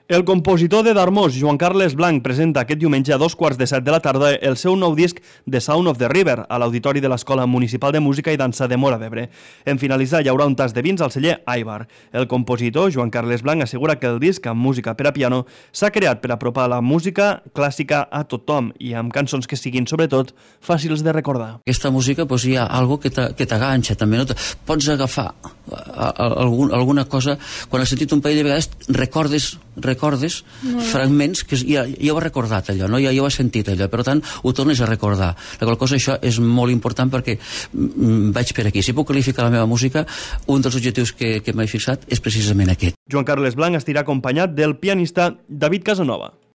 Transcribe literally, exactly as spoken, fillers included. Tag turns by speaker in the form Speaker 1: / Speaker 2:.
Speaker 1: El compositor de Darmós, Joan Carles Blanc, presenta aquest diumenge a dos quarts de set de la tarda el seu nou disc The Sound of the River a l'Auditori de l'Escola Municipal de Música i Dansa de Móra d'Ebre. En finalitzar hi haurà un tas de vins al celler Aibar. El compositor, Joan Carles Blanc, assegura que el disc amb música per a piano s'ha creat per apropar la música clàssica a tothom i amb cançons que siguin, sobretot, fàcils de recordar.
Speaker 2: Aquesta música doncs, hi ha algo que t'aganxa també, no? Pots agafar algun, alguna cosa, quan has sentit un parell de vegades recordes recordes no. fragments que ja, ja ho has recordat allò, no? ja, ja ho has sentit allò, per tant ho tornes a recordar. La qual cosa això és molt important perquè mm, vaig per aquí. Si puc qualificar la meva música, un dels objectius que, que m'he fixat és precisament aquest.
Speaker 1: Joan Carles Blanc estarà acompanyat del pianista David Casanova.